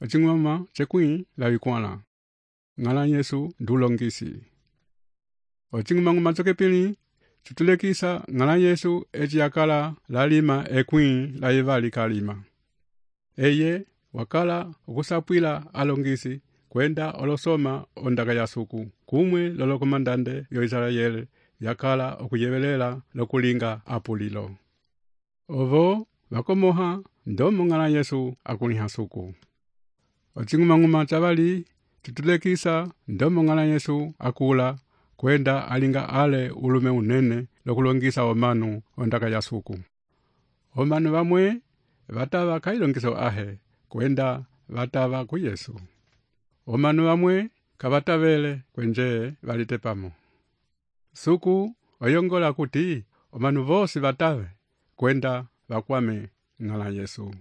Ocing'wama cekwĩ lavikwãla. Ng'ala Yesu ndulongisi. Ocing'umang'uma cokepili citulekisa ng'ala Yesu eci yakala lalima ekwĩ la yivali kalima. Eye wakala okusapwila alongisi kwenda olosoma ondaka ya suku kumwe lolo komandante yo Israel yakala okuyevelela lokulinga apulilo. Ovo vakomoha ndomo ng'ala Yesu akuliha suku. Ocing'umang'uma cavali citulekisa ndomo ng'ala Yesu akula kwenda alinga ale ulume unene lokulongisa omanu ondaka ya suku. Omanu vamwe vatava kailongiso ahe kwenda vatava ku Yesu. Omanu vamwe kavatavele kwenje valitepamo. Suku oyongola kuti omanu vosi vatave kwenda vakwame ng'ala Yesu.